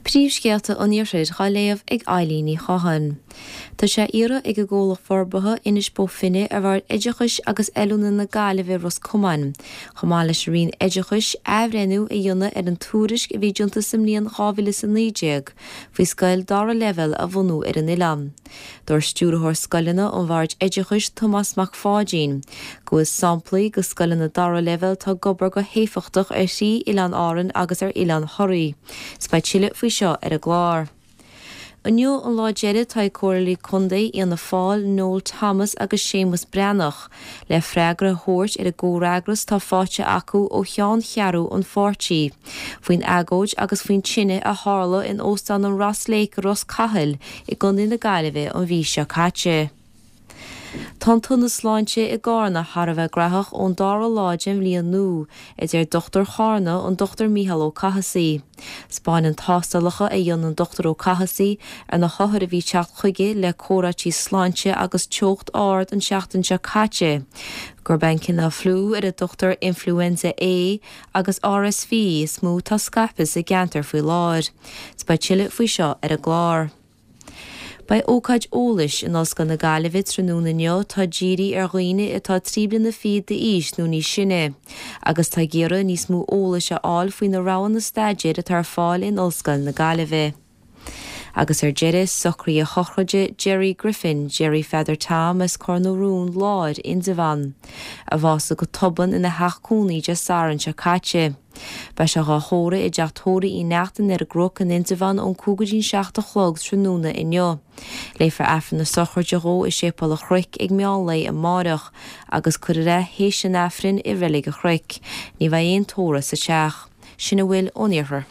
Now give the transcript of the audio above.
Príomhscéalta an Iarthair dhá léamh ag Eilín Ní Chatháin. Tá sé á iarraidh ag an gcomhlacht forbartha Inis Bó Finne ar Bhord Oideachais agus Oiliúna na Gaillimhe Ros Comáin, chomh maith leis an Roinn Oideachais, athbhreithniú a dhéanamh ar an tuairisc a bhí déanta sa mbliain 2019 faoi scoil dara leibhéal a bhunú ar an oileán. Dúirt Stiúrthóir Scoileanna an Bhoird Oideachais, Tomás Mac Pháidín, go bhfuil samplaí de scoileanna dara leibhéal atá ag obair go héifeachtach ar thrí oileán Árann agus ar oileán Thoraí. 'S beidh tuilleadh faoi seo ar an gclár. Inniu an lá deiridh atá ag Comhairleoirí Contae Fhianna Fáil, Noel Thomas agus Séamus Breathnach, le freagra a thabhairt ar an gcomhfhreagras atá faighte acu ó cheanncheathrú an pháirtí faoin agóid agus faoin tine a tharla in Óstán an Ross Lake i Ros Cathail i gContae na Gaillimhe an mhí seo caite. Tá an t-ionad sláinte i gCarna thar a bheith graitheach ón dara lá den bhliain nua, a deir dochtúir Charna, an Dr Mícheál Ó Cathasaigh. 'Spáineann tástálacha a dhéanann an Dr Ó Cathasaigh ar na hothair a bhí ag teacht chuige le comhráití sláinte agus teocht ard an tseachtain seo caite gurb é an cineál fliú ar a dtugtar Influenza A agus RSV is mó atá scaipthe sa gceantar faoi láthair. 'S beidh tuilleadh faoi seo ar an gclár. Beidh ócáid eolais in Ollscoil na Gaillimhe tráthnóna inniu atá dírithe ar dhaoine atá 23 bliana d'aois nó níos sine agus atá ag iarraidh níos mó eolais a fháil faoi na roghanna staidéir atá ar fáil in Ollscoil na Gaillimhe. Agus ar deireadh, socruithe sochraide Gerry Griffin, Gerry Pheadair Tom as Cor na Rún Láir, Indreabhán, a bhásaigh go tobann ina theach cónaí Dé Sathairn seo caite. Beidh sé dhá thórramh i dteach tórraimh Uí Neachtain ar an gCnoc in Indreabhán ón 5 go dtí'n 7 a chlog tráthnóna inniu. Léifear Aifreann na sochraide dhó i Séipéal an Chnoic ag meán lae amáireach agus cuirfear é théis an Aifrinn i Reilig an Chnoic. Ní bheidh aon tórramh sa teach. Sin a bhfuil ón Iarthar.